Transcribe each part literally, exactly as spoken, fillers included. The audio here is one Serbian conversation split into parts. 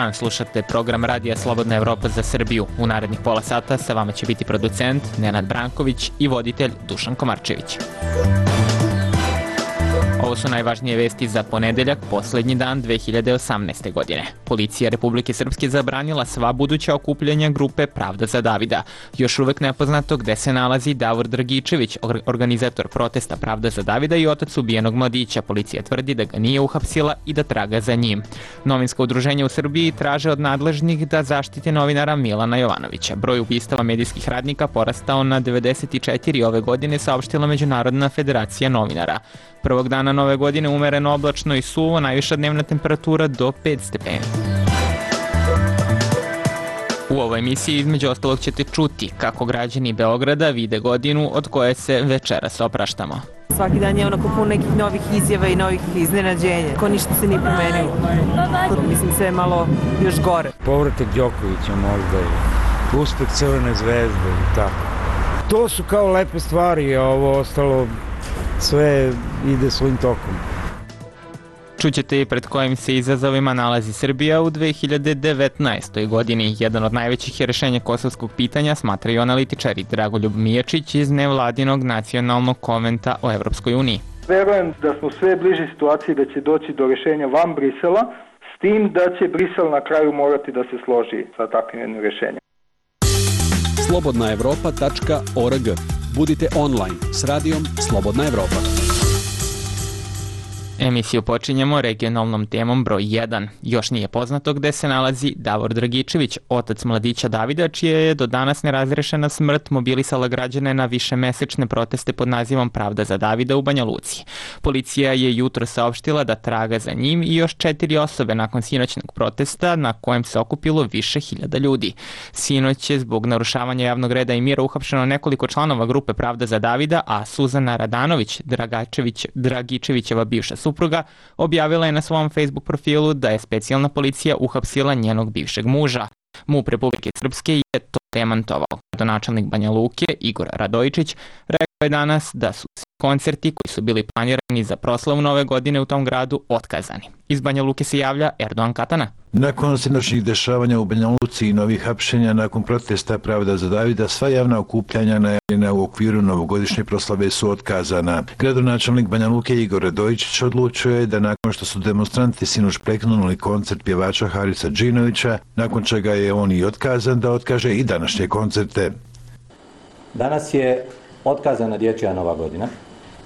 dan, slušate program Radija Slobodna Evropa za Srbiju. U narednih pola sata sa vama će biti producent Nenad Branković i voditelj Dušan Komarčević. Ovo su najvažnije vesti za ponedeljak, poslednji dan dve hiljade osamnaeste. godine. Policija Republike Srpske zabranila sva buduća okupljanja grupe Pravda za Davida. Još uvek nepoznato gde se nalazi Davor Dragičević, organizator protesta Pravda za Davida i otac ubijenog mladića. Policija tvrdi da ga nije uhapsila i da traga za njim. Novinska udruženja u Srbiji traže od nadležnih da zaštite novinara Milana Jovanovića. Broj ubistava medijskih radnika porastao na devedeset četiri ove godine, saopštila Međunarodna federacija novinara. Prvog dana nove godine umereno oblačno i suvo, najviša dnevna temperatura do pet stepeni. U ovoj emisiji između ostalog ćete čuti kako građani Beograda vide godinu od koje se večeras opraštamo. Svaki dan je onako pun nekih novih izjava i novih iznenađenja. Ko ništa se nije promenilo. Mislim sve je malo još gore. Povratak Đokovića možda i uspeh Crvene zvezde i tako. To su kao lepe stvari, a ovo ostalo sve ide svojim tokom. Čućete i pred kojim se izazovima nalazi Srbija u dve hiljade devetnaestoj. godini. Jedan od najvećih rešenja kosovskog pitanja smatraju analitičari Dragoljub Mijačić iz nevladinog nacionalnog konventa o Evropskoj uniji. Verujem da smo sve bliži situaciji da će doći do rešenja van Brisela, s tim da će Brisel na kraju morati da se složi sa takvim jednim rešenjem. slobodna evropa tačka org. Budite online s radijom Slobodna Evropa. Emisiju počinjemo regionalnom temom broj jedan. Još nije poznato gde se nalazi Davor Dragičević, otac mladića Davida, čija je do danas nerazrešena smrt mobilisala građane na višemesečne proteste pod nazivom Pravda za Davida u Banja Luci. Policija je jutro saopštila da traga za njim i još četiri osobe nakon sinoćnog protesta na kojem se okupilo više hiljada ljudi. Sinoć je zbog narušavanja javnog reda i mira uhapšeno nekoliko članova grupe Pravda za Davida, a Suzana Radanović, Dragačević, Dragičevićeva bivša supruga, objavila je na svom Facebook profilu da je specijalna policija uhapsila njenog bivšeg muža. MUP Republike Srpske je to demantovao. Gradonačelnik Banja Luke, Igor Radojičić, rekao je danas da su koncerti koji su bili planirani za proslavu nove godine u tom gradu otkazani. Iz Banja Luke se javlja Erdogan Katana. Nakon sinoćnih dešavanja u Banja Luci i novih hapšenja nakon protesta Pravda za Davida, sva javna okupljanja najavljena u okviru novogodišnje proslave su otkazana. Gradonačelnik Banja Luke Igor Radojičić odlučio je da nakon što su demonstranti sinoć prekinuli koncert pjevača Harisa Džinovića, nakon čega je on i otkazan, da otkaže i današnje koncerte. Danas je otkazana dječja nova godina,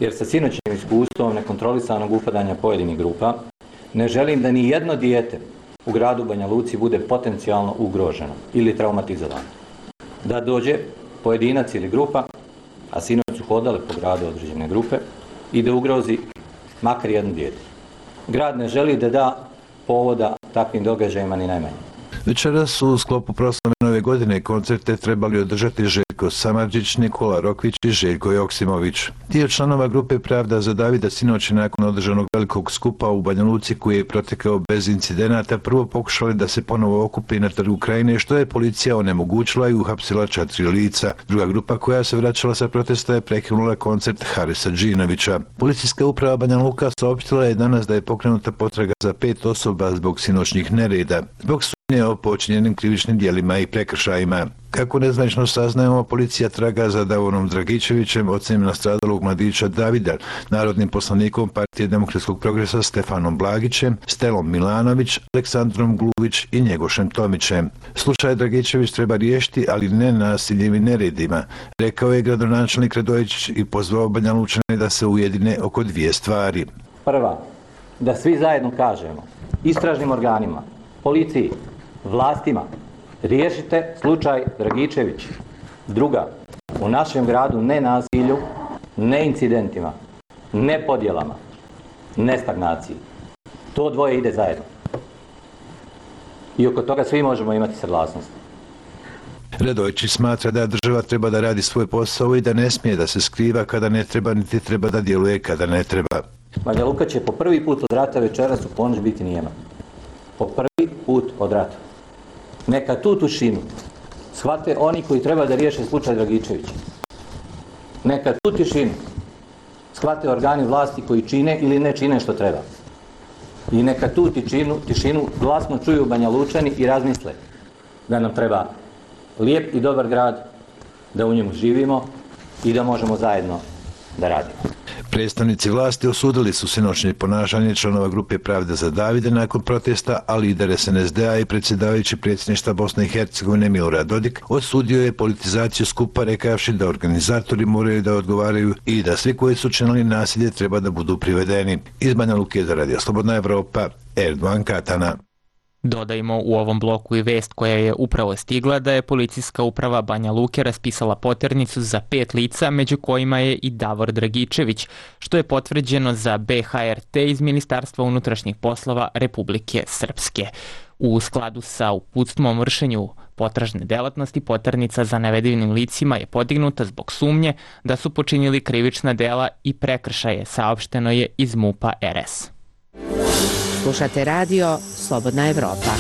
jer sa sinoćnim iskustvom nekontrolisanog upadanja pojedinih grupa ne želim da ni jedno dijete u gradu Banja Luci bude potencijalno ugroženo ili traumatizovano. Da dođe pojedinac ili grupa, a sinoć su hodale po gradu određene grupe, i da ugrozi makar jedno dijete. Grad ne želi da da povoda takvim događajima ni najmanje. Večeras su u sklopu proslave nove godine koncerte trebali održati Željko Samardžić, Nikola Rokvić i Željko Joksimović. Dio članova grupe Pravda za Davida sinoć nakon održanog velikog skupa u Banja Luci koji je protekao bez incidenata prvo pokušali da se ponovo okupi na trgu Krajine, što je policija onemogućila i uhapsila četiri lica. Druga grupa koja se vraćala sa protesta je prekinula koncert Harisa Džinovića. Policijska uprava Banja Luka saopštila je danas da je pokrenuta potraga za pet osoba zbog sinoćnih nereda. Zbog sumnje o počinjenim krivičnim djelima i prekršajima. Kako nezvanično saznajemo, policija traga za Davorom Dragičevićem, ocem nastradalog mladića Davida, narodnim poslanikom Partije demokratskog progresa Stefanom Blagićem, Stelom Milanović, Aleksandrom Gluvić i Njegošem Tomićem. Slučaj Dragičević treba riješiti, ali ne nasiljem i neredima, rekao je gradonačelnik Radojičić i pozvao Banja Lučane da se ujedine oko dvije stvari. Prva, da svi zajedno kažemo istražnim organima, policiji, vlastima, riješite slučaj Dragičević. Druga, u našem gradu ne nasilju, ne incidentima, ne podjelama, ne stagnaciji. To dvoje ide zajedno. I oko toga svi možemo imati saglasnost. Radojičić smatra da država treba da radi svoj posao i da ne smije da se skriva kada ne treba, niti treba da djeluje kada ne treba. Banja Luka će po prvi put od rata večeras u ponoć biti nijema. Po prvi put od rata. Neka tu tišinu shvate oni koji treba da riješe slučaj Dragičevića. Neka tu tišinu shvate organi vlasti koji čine ili ne čine što treba. I neka tu tišinu, tišinu glasno čuju Banja Lučani i razmisle da nam treba lijep i dobar grad, da u njemu živimo i da možemo zajedno da radimo. Predstavnici vlasti osudili su sinoćnje ponašanje članova grupe Pravda za Davida nakon protesta, a lider es en es de a i predsjedavajući predsjedništva Bosne i Hercegovine Milorad Dodik osudio je politizaciju skupa rekavši da organizatori moraju da odgovaraju i da svi koji su činili nasilje treba da budu privedeni. Iz Banja Luke za Radio Slobodna Evropa, Erdogan Katana. Dodajmo u ovom bloku i vest koja je upravo stigla da je policijska uprava Banja Luke raspisala poternicu za pet lica, među kojima je i Davor Dragičević, što je potvrđeno za be ha er te iz Ministarstva unutrašnjih poslova Republike Srpske. U skladu sa uputstvom o vršenju potražne delatnosti, poternica za navedenim licima je podignuta zbog sumnje da su počinili krivična dela i prekršaje, saopšteno je iz MUP-a er es. Slušate radio Slobodna Evropa.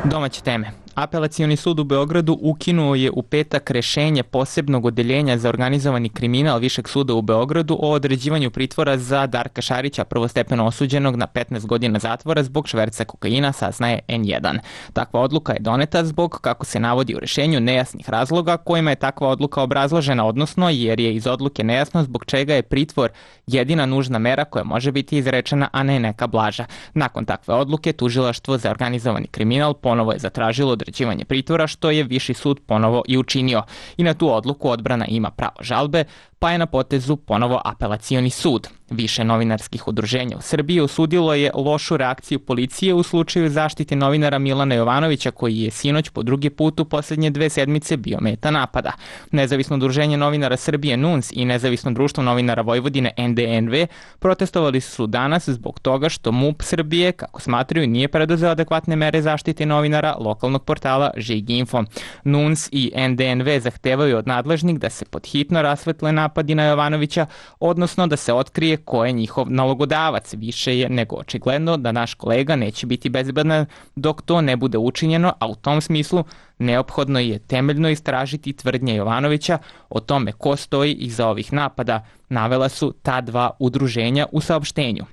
Domaće teme. Apelacioni sud u Beogradu ukinuo je u petak rešenje posebnog odeljenja za organizovani kriminal Višeg suda u Beogradu o određivanju pritvora za Darka Šarića, prvostepeno osuđenog na petnaest godina zatvora zbog šverca kokaina, saznaje en jedan. Takva odluka je doneta zbog, kako se navodi u rešenju, nejasnih razloga kojima je takva odluka obrazložena, odnosno jer je iz odluke nejasno zbog čega je pritvor jedina nužna mera koja može biti izrečena, a ne neka blaža. Nakon takve odluke, Tužilaštvo za organizovani kriminal ponovo je zatražilo određivanje pritvora, što je Viši sud ponovo i učinio. I na tu odluku odbrana ima pravo žalbe, pa je na potezu ponovo apelacioni sud. Više novinarskih udruženja u Srbiji osudilo je lošu reakciju policije u slučaju zaštite novinara Milana Jovanovića, koji je sinoć po drugi put u posljednje dve sedmice bio meta napada. Nezavisno udruženje novinara Srbije N U N S i Nezavisno društvo novinara Vojvodine en de en ve protestovali su danas zbog toga što MUP Srbije, kako smatraju, nije preduzeo adekvatne mere zaštite novinara lokalnog portala Žig info. N U N S i en de en ve zahtevaju od nadležnih da se podhitno rasvetle napadi na Jovanovića, odnosno da se otkrije ko je njihov nalogodavac. Više je nego očigledno da naš kolega neće biti bezbedan dok to ne bude učinjeno, a u tom smislu neophodno je temeljno istražiti tvrdnje Jovanovića o tome ko stoji iza ovih napada, navela su ta dva udruženja u saopštenju.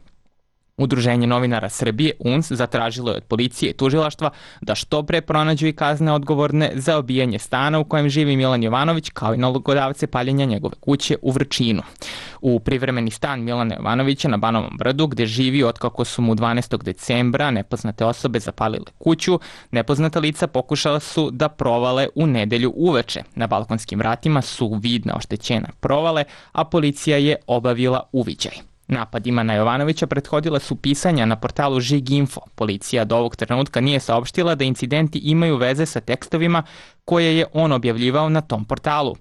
Udruženje novinara Srbije U N S zatražilo je od policije i tužilaštva da što pre pronađu i kazne odgovorne za obijanje stana u kojem živi Milan Jovanović, kao i nalogodavce paljenja njegove kuće u Vrčinu. U privremeni stan Milana Jovanovića na Banovom Brdu, gde živi otkako su mu dvanaestog decembra nepoznate osobe zapalile kuću, nepoznata lica pokušala su da provale u nedelju uveče. Na balkonskim vratima su vidne oštećene provale, a policija je obavila uviđaj. Napadima na Jovanovića prethodila su pisanja na portalu Žig info. Policija do ovog trenutka nije saopštila da incidenti imaju veze sa tekstovima koje je on objavljivao na tom portalu.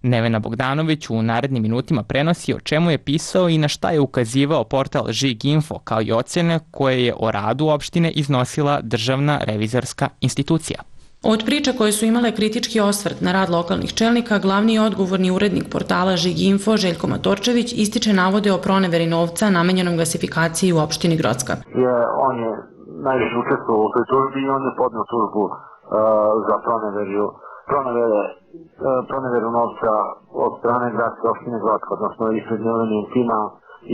Nevena Bogdanović u narednim minutima prenosi o čemu je pisao i na šta je ukazivao portal Žig info, kao i ocene koje je o radu opštine iznosila Državna revizorska institucija. Od priča koje su imale kritički osvrt na rad lokalnih čelnika, glavni i odgovorni urednik portala Žig info Željko Matorčević ističe navode o proneveri novca namenjenom gasifikaciji u opštini Grocka. Je, on je najviše učestvovao u toj tužbi i on je podneo tužbu uh, za proneveru, pronevere, uh, proneveru novca od strane gradske opštine Grocka, odnosno ispred Milenijum tima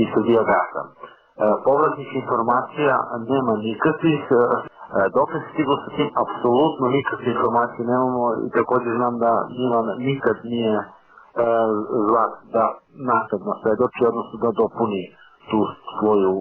i Srbija gasa. Uh, povratnih informacija nema nikakvih. Uh, Dok se stiglo sa tim, apsolutno nikakve informacije nemamo i također znam da Milan nikad nije e, zlat da naknadno svedoči, odnosno da dopuni tu svoju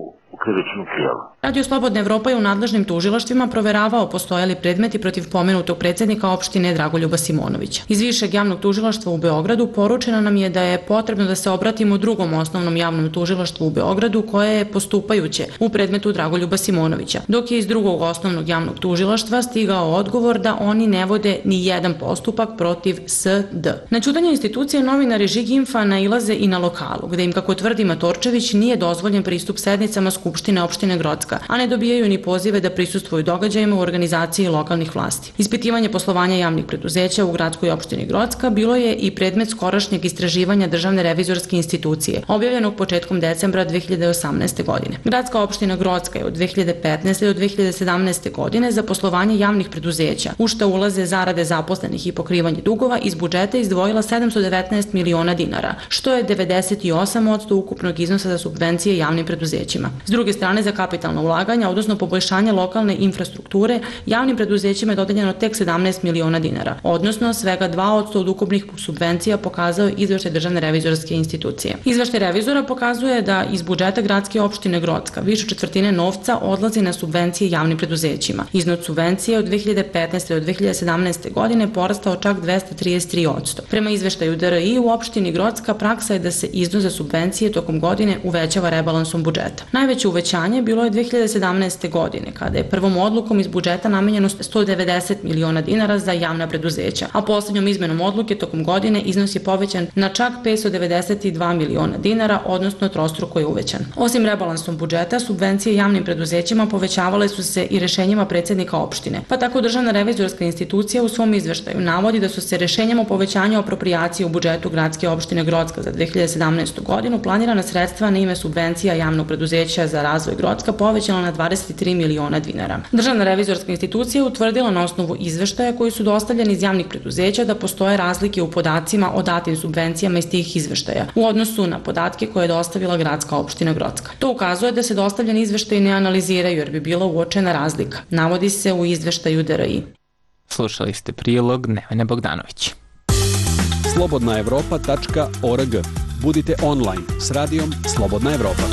krivičnu prijavu. Radio Slobodna Evropa je u nadležnim tužilaštvima proveravao postojali predmeti protiv pomenutog predsjednika opštine Dragoljuba Simonovića. Iz Višeg javnog tužilaštva u Beogradu poručeno nam je da je potrebno da se obratimo drugom osnovnom javnom tužilaštvu u Beogradu koje je postupajuće u predmetu Dragoljuba Simonovića, dok je iz drugog osnovnog javnog tužilaštva stigao odgovor da oni ne vode ni jedan postupak protiv S D. Na ćutanje institucije novinari Žig infa nailaze i na lokalu, gde im, kako tvrdi Matorčević, nije dozvoljen pristup sednicama Skupštine opštine Grocka, Grocka, a ne dobijaju ni pozive da prisustvuju događajima u organizaciji lokalnih vlasti. Ispitivanje poslovanja javnih preduzeća u gradskoj opštini Grocka bilo je i predmet skorašnjeg istraživanja Državne revizorske institucije, objavljenog početkom decembra dve hiljade osamnaeste. godine. Gradska opština Grocka je od dve hiljade petnaeste. do dve hiljade sedamnaeste. godine za poslovanje javnih preduzeća, u šta ulaze zarade zaposlenih i pokrivanje dugova, iz budžeta izdvojila sedamsto devetnaest miliona dinara, što je devedeset osam posto ukupnog iznosa za subvencije javnim preduzećima. S druge strane, za kapitalna ulaganja, odnosno poboljšanje lokalne infrastrukture, javnim preduzećima je dodeljeno tek sedamnaest miliona dinara, odnosno svega dva posto od ukupnih subvencija, pokazao izveštaj Državne revizorske institucije. Izveštaj revizora pokazuje da iz budžeta gradske opštine Grocka više četvrtine novca odlazi na subvencije javnim preduzećima. Iznos subvencije od dve hiljade petnaeste. do dve hiljade sedamnaeste. godine porastao čak dvesta trideset tri posto. Prema izveštaju D R I u opštini Grocka praksa je da se iznos za subvencije tokom godine uvećava rebalansom budžeta. Najveće uvećanje bilo je dve hiljade sedamnaeste. godine, kada je prvom odlukom iz budžeta namenjeno sto devedeset miliona dinara za javna preduzeća, a poslednjom izmenom odluke tokom godine iznos je povećan na čak petsto devedeset dva miliona dinara, odnosno trostruko je uvećan. Osim rebalansom budžeta, subvencije javnim preduzećima povećavale su se i rešenjima predsednika opštine, pa tako Državna revizorska institucija u svom izveštaju navodi da su se rešenjem o povećanju aproprijacije u budžetu gradske opštine Grocka za dve hiljade sedamnaestu. godinu planirana sredstva na ime subvencija javnog preduzeća za razvoj Grocka povećala na dvadeset tri miliona dinara. Državna revizorska institucija utvrdila na osnovu izveštaja koji su dostavljeni iz javnih preduzeća da postoje razlike u podacima o datim subvencijama iz tih izveštaja u odnosu na podatke koje je dostavila gradska opština Grocka. To ukazuje da se dostavljeni izveštaji ne analiziraju jer bi bila uočena razlika, navodi se u izveštaju D R I. Slušali ste prilog Nevene Bogdanović. slobodna evropa tačka org. Budite online s radijom Slobodna Evropa.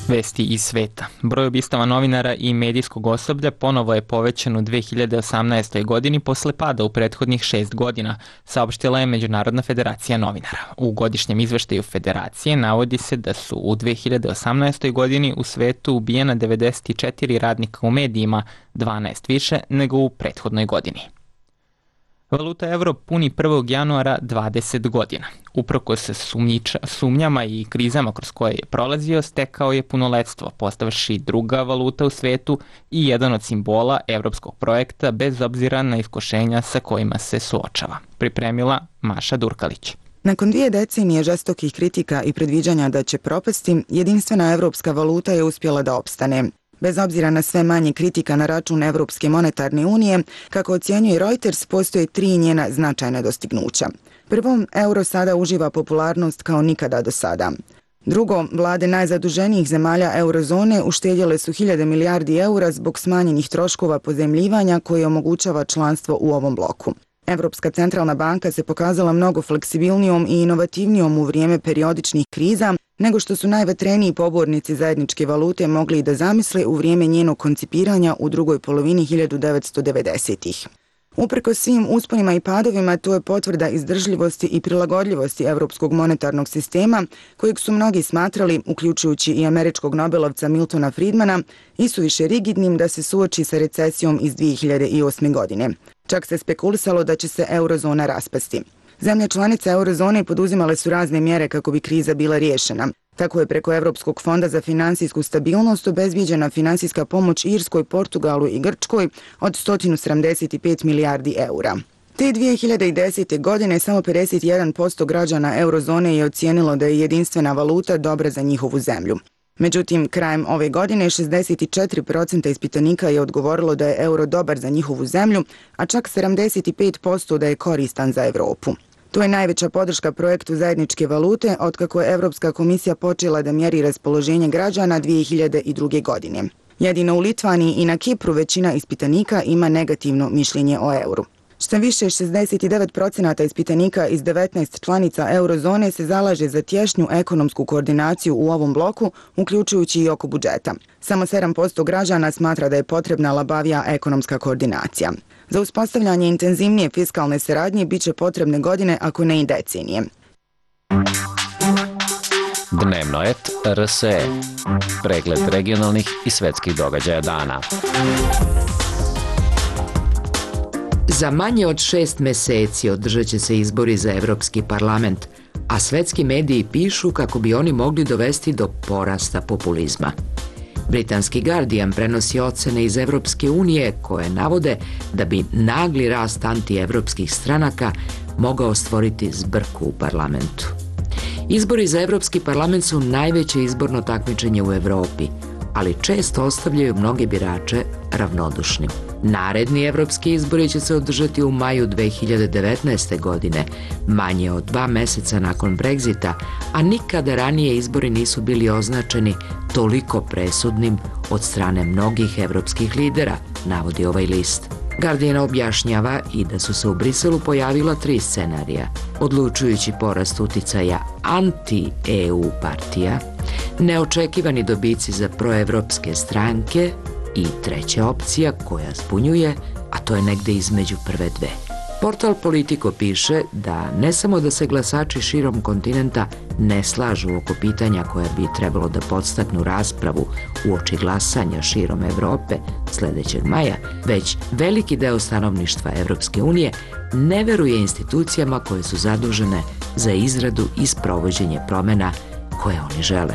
Vesti iz sveta. Broj ubistava novinara i medijskog osoblja ponovo je povećan u dve hiljade osamnaestoj. godini posle pada u prethodnih šest godina, saopštila je Međunarodna federacija novinara. U godišnjem izveštaju federacije navodi se da su u dve hiljade osamnaestoj. godini u svetu ubijena devedeset četiri radnika u medijima, dvanaest više nego u prethodnoj godini. Valuta evro puni prvog januara dvadeset godina. Uprko se sumnjiča, sumnjama i krizama kroz koje je prolazio, stekao je punoletstvo, postavši druga valuta u svetu i jedan od simbola evropskog projekta bez obzira na iskušenja sa kojima se suočava. Pripremila Maša Durkalić. Nakon dvije decenije žestokih kritika i predviđanja da će propasti, jedinstvena evropska valuta je uspjela da opstane. Bez obzira na sve manje kritika na račun Evropske monetarne unije, kako ocjenjuje Reuters, postoje tri njena značajna dostignuća. Prvo, euro sada uživa popularnost kao nikada do sada. Drugo, vlade najzaduženijih zemalja eurozone uštedjele su hiljade milijardi eura zbog smanjenih troškova pozemljivanja koje omogućava članstvo u ovom bloku. Evropska centralna banka se pokazala mnogo fleksibilnijom i inovativnijom u vrijeme periodičnih kriza nego što su najvatreniji pobornici zajedničke valute mogli da zamisle u vrijeme njenog koncipiranja u drugoj polovini hiljadu devetsto devedesetih. Uprkos svim usponima i padovima, to je potvrda izdržljivosti i prilagodljivosti evropskog monetarnog sistema, kojeg su mnogi smatrali, uključujući i američkog nobelovca Miltona Friedmana, isuviše rigidnim da se suoči sa recesijom iz dve hiljade osme. godine. Čak se spekulisalo da će se eurozona raspasti. Zemlje članice eurozone poduzimale su razne mjere kako bi kriza bila riješena. Tako je preko Evropskog fonda za finansijsku stabilnost obezbijeđena finansijska pomoć Irskoj, Portugalu i Grčkoj od sto sedamdeset pet milijardi eura. Te dve hiljade desete. godine samo pedeset jedan posto građana eurozone je ocijenilo da je jedinstvena valuta dobra za njihovu zemlju. Međutim, krajem ove godine šezdeset četiri posto ispitanika je odgovorilo da je euro dobar za njihovu zemlju, a čak sedamdeset pet posto da je koristan za Evropu. To je najveća podrška projektu zajedničke valute otkako je Evropska komisija počela da mjeri raspoloženje građana dve hiljade druge. godine. Jedino u Litvaniji i na Kipru većina ispitanika ima negativno mišljenje o euru. Šta više, šezdeset devet posto ispitanika iz devetnaest članica eurozone se zalaže za tješnju ekonomsku koordinaciju u ovom bloku, uključujući i oko budžeta. Samo sedam posto građana smatra da je potrebna labavija ekonomska koordinacija. Za uspostavljanje intenzivnije fiskalne saradnje biće potrebne godine, ako ne i decenije. Dnevno et R S E. Pregled regionalnih i svetskih događaja dana. Za manje od šest meseci održat će se izbori za Evropski parlament, a svetski mediji pišu kako bi oni mogli dovesti do porasta populizma. Britanski Guardian prenosi ocene iz Evropske unije koje navode da bi nagli rast antievropskih stranaka mogao stvoriti zbrku u parlamentu. Izbori za Evropski parlament su najveće izborno takmičenje u Evropi, ali često ostavljaju mnoge birače ravnodušnim. Naredni evropski izbori će se održati u maju dve hiljade devetnaeste. godine, manje od dva meseca nakon Brexita, a nikada ranije izbori nisu bili označeni toliko presudnim od strane mnogih evropskih lidera, navodi ovaj list. Guardian objašnjava i da su se u Briselu pojavila tri scenarija: odlučujući porast uticaja anti-E U partija, neočekivani dobici za proevropske stranke i treća opcija koja zbunjuje, a to je negde između prve dve. Portal Politico piše da ne samo da se glasači širom kontinenta ne slažu oko pitanja koja bi trebalo da podstaknu raspravu uoči glasanja širom Evrope sledećeg maja, već veliki deo stanovništva Evropske unije ne veruje institucijama koje su zadužene za izradu i sprovođenje promena koje oni žele.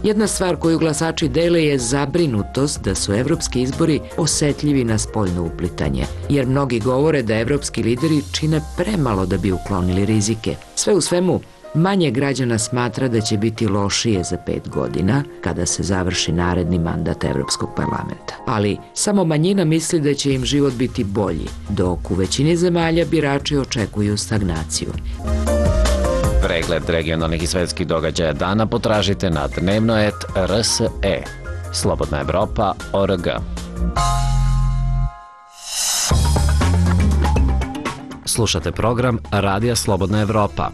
Jedna stvar koju glasači dele je zabrinutost da su evropski izbori osetljivi na spoljno uplitanje, jer mnogi govore da evropski lideri čine premalo da bi uklonili rizike. Sve u svemu, manje građana smatra da će biti lošije za pet godina kada se završi naredni mandat Evropskog parlamenta. Ali samo manjina misli da će im život biti bolji, dok u većini zemalja birači očekuju stagnaciju. Pregled regionalnih i svetskih događaja dana potražite na dnevnoet R S E. Slobodna Evropa точка O R G. Slušate program Radija Slobodna Evropa.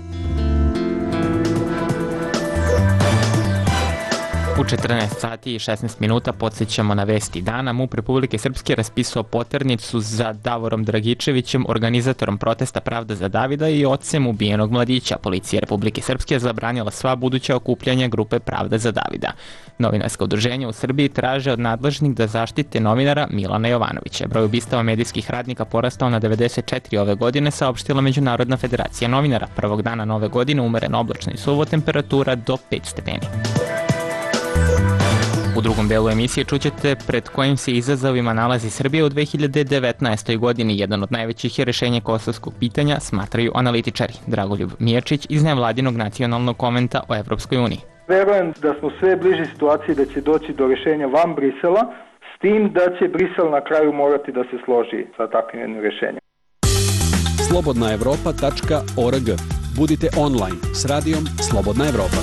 U četrnaest sati i šesnaest minuta podsjećamo na vesti dana. MUP Republike Srpske raspisao poternicu za Davorom Dragičevićem, organizatorom protesta Pravda za Davida i ocem ubijenog mladića. Policija Republike Srpske je zabranila sva buduća okupljanja grupe Pravda za Davida. Novinarska udruženja u Srbiji traže od nadležnih da zaštite novinara Milana Jovanovića. Broj ubistava medijskih radnika porastao na devedeset četiri ove godine, saopštila Međunarodna federacija novinara. Prvog dana nove godine umereno oblačno i suvo, temperatura do pet stepeni. U drugom delu emisije čućete pred kojim se izazovima nalazi Srbija u dve hiljade devetnaestoj. godini. Jedan od najvećih je rešenje kosovskog pitanja, smatraju analitičari. Dragoljub Mijačić iz nevladinog nacionalnog konventa o Evropskoj uniji. Verujem da smo sve bliži situaciji da će doći do rešenja van Brisela, s tim da će Brisel na kraju morati da se složi sa takvim jednim rešenjem. slobodna evropa tačka O R G. Budite online s radijom Slobodna Evropa.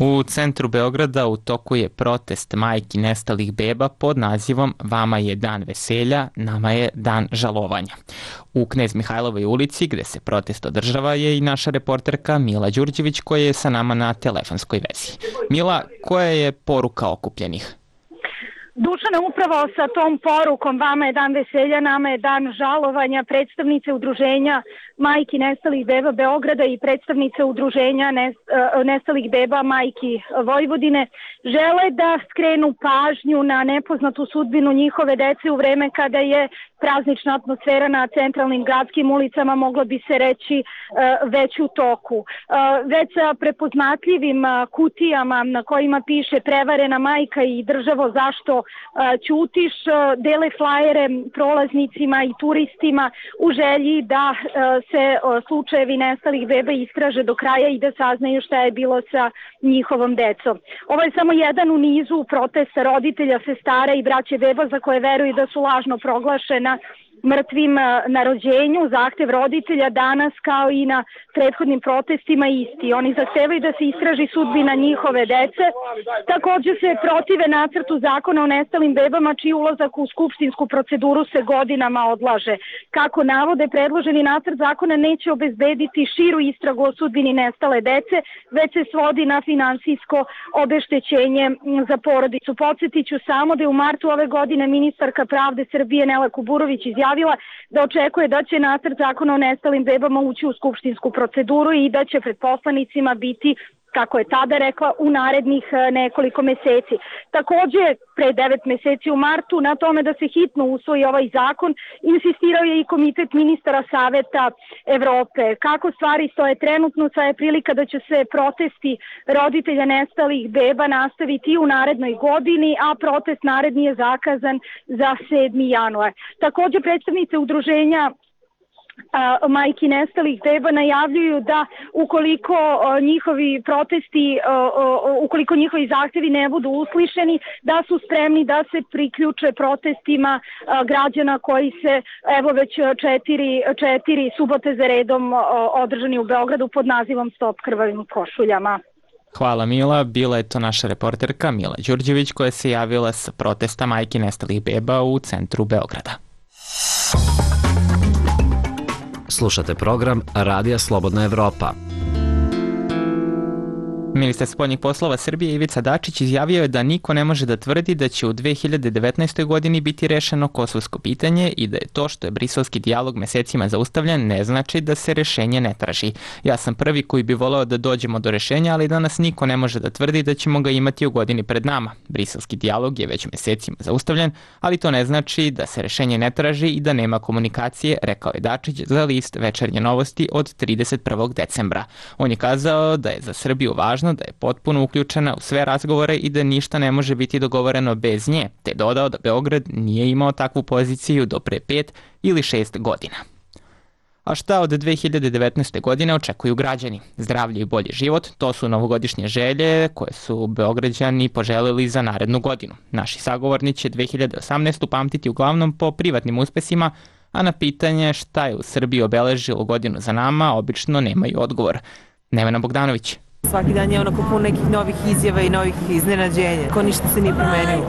U centru Beograda u toku je protest majki nestalih beba pod nazivom Vama je dan veselja, nama je dan žalovanja. U Knez Mihajlovoj ulici, gde se protest održava, je i naša reporterka Mila Đurđević koja je sa nama na telefonskoj vezi. Mila, koja je poruka okupljenih? Dušane, upravo sa tom porukom Vama je dan veselja, nama je dan žalovanja, predstavnice udruženja majki nestalih beba Beograda i predstavnice udruženja nestalih beba majki Vojvodine žele da skrenu pažnju na nepoznatu sudbinu njihove dece u vreme kada je praznična atmosfera na centralnim gradskim ulicama, moglo bi se reći, već u toku. Već sa prepoznatljivim kutijama na kojima piše prevarena majka i državo zašto ćutiš, dele flajere prolaznicima i turistima u želji da se slučajevi nestalih beba istraže do kraja i da saznaju šta je bilo sa njihovom decom. Ovo je samo jedan u nizu protesta roditelja, sestara i braće beba za koje veruju da su lažno proglašena mrtvim na rođenju. Zahtev roditelja danas kao i na prethodnim protestima isti. Oni zahtevaju da se istraži sudbina njihove dece. Također se protive nacrtu zakona o nestalim bebama čiji ulazak u skupštinsku proceduru se godinama odlaže. Kako navode, predloženi nacrt zakona neće obezbediti širu istragu o sudbini nestale dece, već se svodi na finansijsko obeštećenje za porodicu. Podsjetiću samo da je u martu ove godine ministarka pravde Srbije Nela Kuburović izjavila da očekuje da će nacrt zakona o nestalim bebama ući u skupštinsku proceduru i da će pred poslanicima biti kako je tada rekla, u narednih nekoliko meseci. Takođe, pre devet meseci u martu na tome da se hitno usvoji ovaj zakon, insistirao je i Komitet ministara Saveta Evrope. Kako stvari stoje trenutno, sad je prilika da će se protesti roditelja nestalih beba nastaviti i u narednoj godini, a protest naredni je zakazan za sedmi januar. Takođe, predstavnice udruženja A, majki nestalih beba najavljuju da ukoliko a, njihovi protesti, a, a, ukoliko njihovi zahtevi ne budu uslišeni, da su spremni da se priključe protestima a, građana koji se evo već četiri, četiri subote za redom a, održani u Beogradu pod nazivom Stop krvavim košuljama. Hvala Mila, bila je to naša reporterka Mila Đurđević koja se javila sa protesta majki nestalih beba u centru Beograda. Slušate program Radija Slobodna Evropa. Ministar spoljnih poslova Srbije Ivica Dačić izjavio je da niko ne može da tvrdi da će u dve hiljade devetnaestoj. godini biti rešeno kosovsko pitanje i da je to što je briselski dijalog mesecima zaustavljen ne znači da se rešenje ne traži. Ja sam prvi koji bi voleo da dođemo do rešenja, ali danas niko ne može da tvrdi da ćemo ga imati u godini pred nama. Briselski dijalog je već mesecima zaustavljen, ali to ne znači da se rešenje ne traži i da nema komunikacije, rekao je Dačić za list Večernje novosti od trideset prvog decembra. On je kazao da je za Srbiju važno da je potpuno uključena u sve razgovore i da ništa ne može biti dogovoreno bez nje, te dodao da Beograd nije imao takvu poziciju do pre pet ili šest godina. A šta od dve hiljade devetnaeste. godine očekuju građani? Zdravlje i bolji život, to su novogodišnje želje koje su Beograđani poželili za narednu godinu. Naši sagovorni će dve hiljade osamnaestu. pamtiti uglavnom po privatnim uspesima, a na pitanje šta je u Srbiji obeležilo godinu za nama obično nemaju odgovor. Nevena Bogdanović. Svaki dan je onako pun nekih novih izjava i novih iznenađenja. Ko ništa se nije promenilo.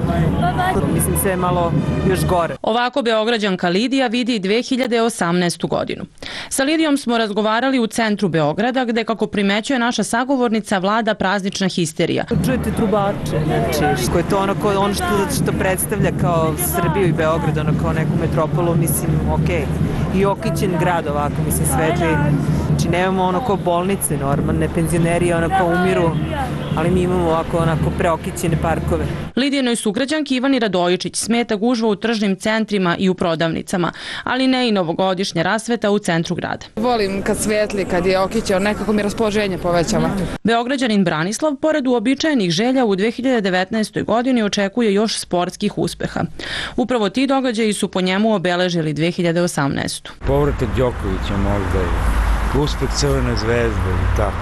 Mislim sve je malo još gore. Ovako Beograđanka Lidija vidi dve hiljade osamnaestu. godinu. Sa Lidijom smo razgovarali u centru Beograda gde, kako primećuje naša sagovornica, vlada praznična histerija. Čujete trubače, znači što je to ono, ko, ono što, što predstavlja kao Srbiju i Beograd, ono kao neku metropolu, mislim, okej. I okićen grad ovako, mislim, svetli. Znači nemamo ono kao bolnice normalne, penzioneri onako umiru, ali mi imamo ovako onako preokićene parkove. Lidijenoj sugrađanki Ivani Radojičić smeta gužva u tržnim centrima i u prodavnicama, ali ne i novogodišnja rasveta u centru grada. Volim kad svetli, kad je okićeo, nekako mi raspoloženje povećava. Beograđanin Branislav, pored uobičajenih želja, u dve hiljade devetnaestoj. godini očekuje još sportskih uspeha. Upravo ti događaji su po njemu obeležili dve hiljade osamnaestu. Povratak Đokovića možda i uspeh Crvene zvezde i tako.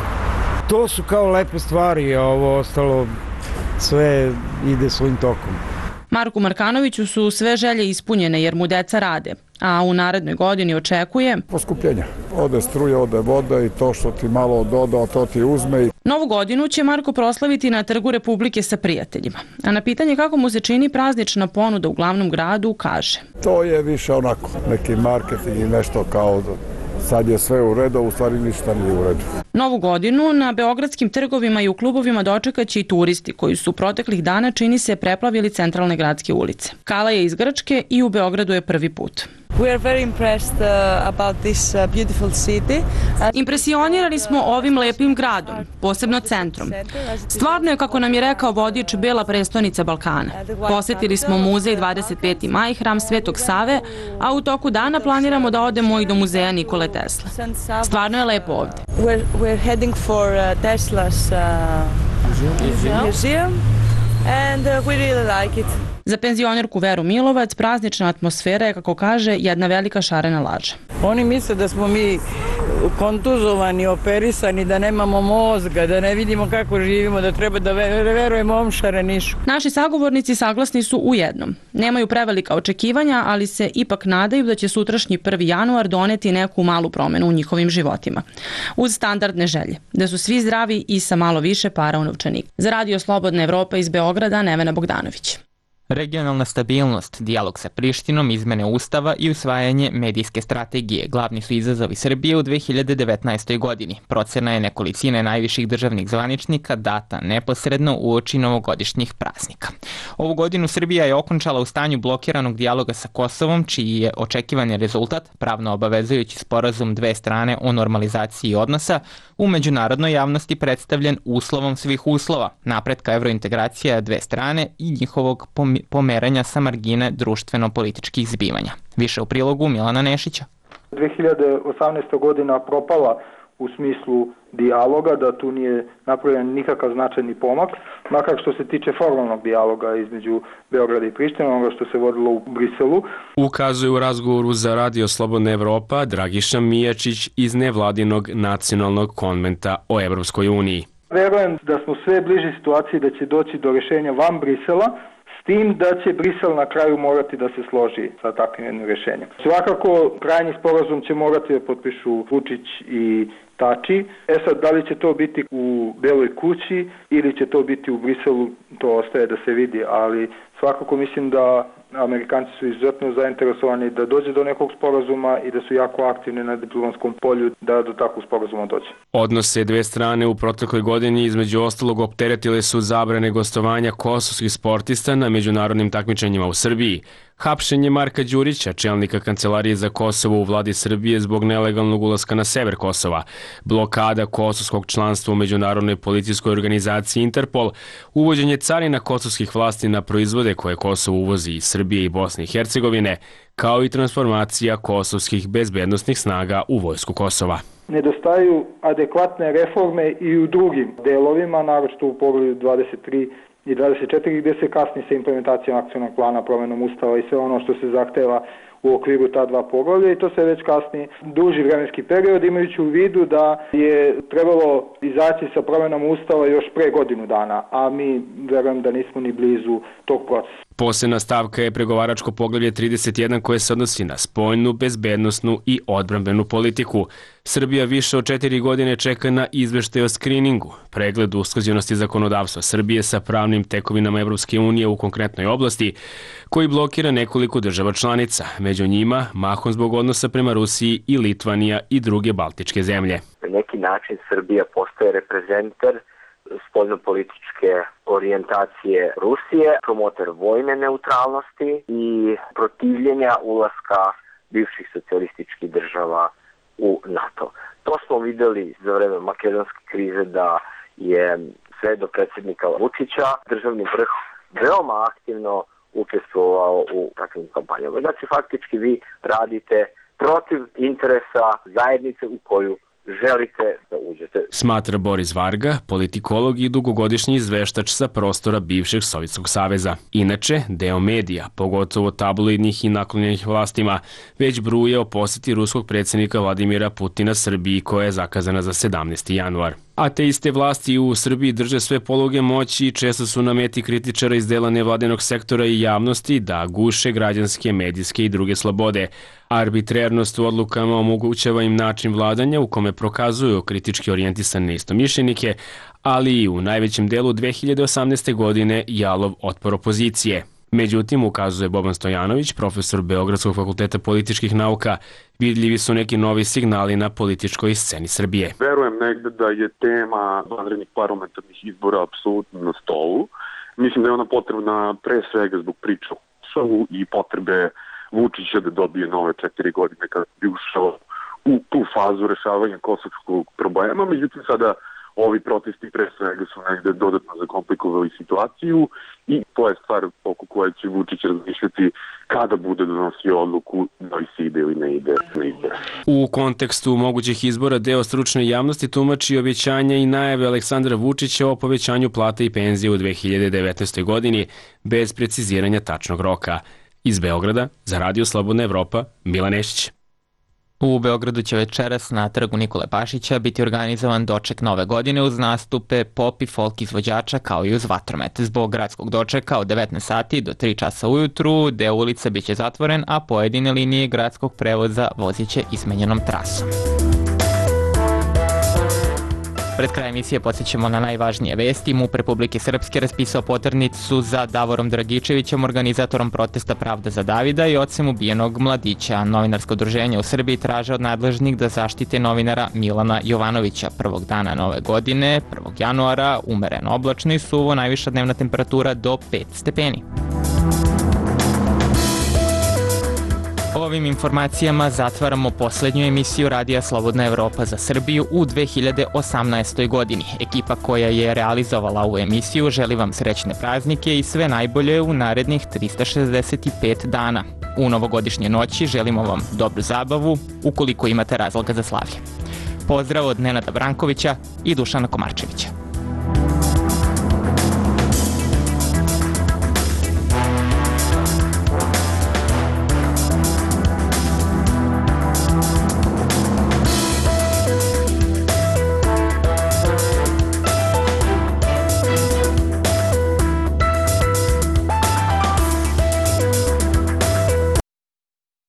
To su kao lepe stvari, a ovo ostalo sve ide svojim tokom. Marku Markanoviću su sve želje ispunjene jer mu deca rade, a u narednoj godini očekuje poskupljenja. Ode struja, ode voda i to što ti malo doda, to ti uzme. Novu godinu će Marko proslaviti na Trgu Republike sa prijateljima, a na pitanje kako mu se čini praznična ponuda u glavnom gradu kaže: To je više onako neki marketing i nešto kao sad je sve u redu, u stvari ništa nije u redu. Novu godinu na beogradskim trgovima i u klubovima dočekaće i turisti koji su proteklih dana, čini se, preplavili centralne gradske ulice. Kala je iz Grčke i u Beogradu je prvi put. We are very impressed uh, about this uh, beautiful city. Impresionirani smo ovim lepim gradom, posebno centrom. Stvarno je, kako nam je rekao vodič, bela prestonica Balkana. Posetili smo muzej dvadeset peti maj, hram Svetog Save, a u toku dana planiramo da odemo i do muzeja Nikole Tesle. Stvarno je lepo ovde. We're, we're heading for uh, Tesla's uh, museum and uh, we really like it. Za penzionerku Veru Milovac praznična atmosfera je, kako kaže, jedna velika šarena laža. Oni misle da smo mi kontuzovani, operisani, da nemamo mozga, da ne vidimo kako živimo, da treba da verujemo ovom šarenišu. Naši sagovornici saglasni su u jednom. Nemaju prevelika očekivanja, ali se ipak nadaju da će sutrašnji prvi januar doneti neku malu promenu u njihovim životima. Uz standardne želje, da su svi zdravi i sa malo više para u novčaniku. Za Radio Slobodna Evropa iz Beograda, Nevena Bogdanović. Regionalna stabilnost, dijalog sa Prištinom, izmene ustava i usvajanje medijske strategije glavni su izazovi Srbije u dve hiljade devetnaestoj. godini. Procena je nekolicine najviših državnih zvaničnika data neposredno uoči novogodišnjih praznika. Ovu godinu Srbija je okončala u stanju blokiranog dijaloga sa Kosovom, čiji je očekivani rezultat, pravno obavezujući sporazum dve strane o normalizaciji odnosa, u međunarodnoj javnosti predstavljen uslovom svih uslova, napretka evrointegracija dve strane i njihovog pomeranja sa margine društveno-političkih zbivanja. Više u prilogu Milana Nešića. dve hiljade osamnaesta. godina propala u smislu dijaloga, da tu nije napravljen nikakav značajni pomak, makar što se tiče formalnog dijaloga između Beograda i Prištine, onoga što se vodilo u Briselu. Ukazuje u razgovoru za Radio Slobodna Evropa Dragiša Mijačić iz nevladinog nacionalnog konventa o Evropskoj uniji. Verujem da smo sve bliži situaciji da će doći do rešenja van Brisela, s tim da će Brisel na kraju morati da se složi sa takvim jednim rešenjem. Svakako, krajnji sporazum će morati da potpišu Vučić i Tači. E sad, da li će to biti u Beloj kući ili će to biti u Briselu, to ostaje da se vidi, ali svakako mislim da Amerikanci su izuzetno zainteresovani da dođe do nekog sporazuma i da su jako aktivni na diplomatskom polju da do takvog sporazuma dođe. Odnose dve strane u protekloj godini između ostalog opteretile su zabrane gostovanja kosovskih sportista na međunarodnim takmičenjima u Srbiji, hapšenje Marka Đurića, čelnika Kancelarije za Kosovo u vladi Srbije zbog nelegalnog ulaska na sever Kosova, blokada kosovskog članstva u međunarodnoj policijskoj organizaciji Interpol, uvođenje carina kosovskih vlasti na proizvode koje Kosovo uvozi iz Srbije i Bosne i Hercegovine, kao i transformacija kosovskih bezbednosnih snaga u vojsku Kosova. Nedostaju adekvatne reforme i u drugim delovima, naročito u poglavlju dvadeset tri i dvadeset četiri, gde se kasni sa implementacijom akcionog plana, promenom ustava i sve ono što se zahteva u okviru ta dva poglavlja, i to se već kasni duži vremenski period, imajući u vidu da je trebalo izaći sa promenom ustava još pre godinu dana, a mi verujem da nismo ni blizu tog procesa. Posebna stavka je pregovaračko poglavlje trideset jedan koje se odnosi na spoljnu, bezbednosnu i odbrambenu politiku. Srbija više od četiri godine čeka na izveštaj o skriningu, pregled usklađenosti zakonodavstva Srbije sa pravnim tekovinama Evropske unije u konkretnoj oblasti, koji blokira nekoliko država članica, među njima mahom zbog odnosa prema Rusiji i Litvanija i druge baltičke zemlje. Na neki način Srbija postaje reprezentar spoljnopolitičke orijentacije Rusije, promotor vojne neutralnosti i protivljenja ulaska bivših socijalističkih država u NATO. To smo videli za vreme makedonske krize, da je sve do predsjednika Vučića državni vrh veoma aktivno učestvovao u takvim kampanjama. Znači, faktički vi radite protiv interesa zajednice u koju želite da uđete. Smatra Boris Varga, politikolog i dugogodišnji izveštač sa prostora bivšeg Sovjetskog saveza. Inače, deo medija, pogotovo tabloidnih i naklonjenih vlastima, već bruje o poseti ruskog predsjednika Vladimira Putina Srbiji, koja je zakazana za sedamnaesti januar. A te iste vlasti u Srbiji drže sve poluge moći i često su na meti kritičara iz dela nevladinog sektora i javnosti da guše građanske, medijske i druge slobode. Arbitrernost u odlukama omogućava im način vladanja u kome prokazuju kritički orijentisane istomišljenike, ali i u najvećem delu dve hiljade osamnaeste. godine jalov otpor opozicije. Međutim, ukazuje Boban Stojanović, profesor Beogradskog fakulteta političkih nauka, vidljivi su neki novi signali na političkoj sceni Srbije. Verujem negde da je tema vanrednih parlamentarnih izbora apsolutno na stolu. Mislim da je ona potrebna pre svega zbog priča o Kosovu i potrebe Vučića da dobije nove četiri godine kada bi ušao u tu fazu rešavanja kosovskog problema. Međutim, sada ovi protesti pre svega su negde dodatno zakomplikovali situaciju i to je stvar oko koje će Vučić razmišljati kada bude donosio odluku da li se ide ili ne ide na izbore. U kontekstu mogućih izbora deo stručne javnosti tumači obećanja i najave Aleksandra Vučića o povećanju plata i penzije u dve hiljade devetnaestoj. godini bez preciziranja tačnog roka. Iz Beograda, za Radio Slobodna Evropa, Milan Nešić. U Beogradu će večeras na trgu Nikole Pašića biti organizovan doček nove godine uz nastupe pop i folk izvođača kao i uz vatromet. Zbog gradskog dočeka od devetnaest sati do tri časa ujutru deo ulica biće zatvoren, a pojedine linije gradskog prevoza vozit će izmenjenom trasom. Pred kraj emisije podsjećamo na najvažnije vesti. MUP Republike Srpske raspisao poternicu za Davorom Dragičevićem, organizatorom protesta Pravda za Davida i ocem ubijenog mladića. Novinarsko udruženje u Srbiji traže od nadležnih da zaštite novinara Milana Jovanovića. Prvog dana nove godine, prvog januara, umereno oblačno i suvo, najviša dnevna temperatura do pet stepeni. Ovim informacijama zatvaramo poslednju emisiju Radija Slobodna Evropa za Srbiju u dve hiljade osamnaestoj godini. Ekipa koja je realizovala ovu emisiju želi vam srećne praznike i sve najbolje u narednih trista šezdeset pet dana. U novogodišnje noći želimo vam dobru zabavu ukoliko imate razloga za slavlje. Pozdrav od Nenada Brankovića i Dušana Komarčevića.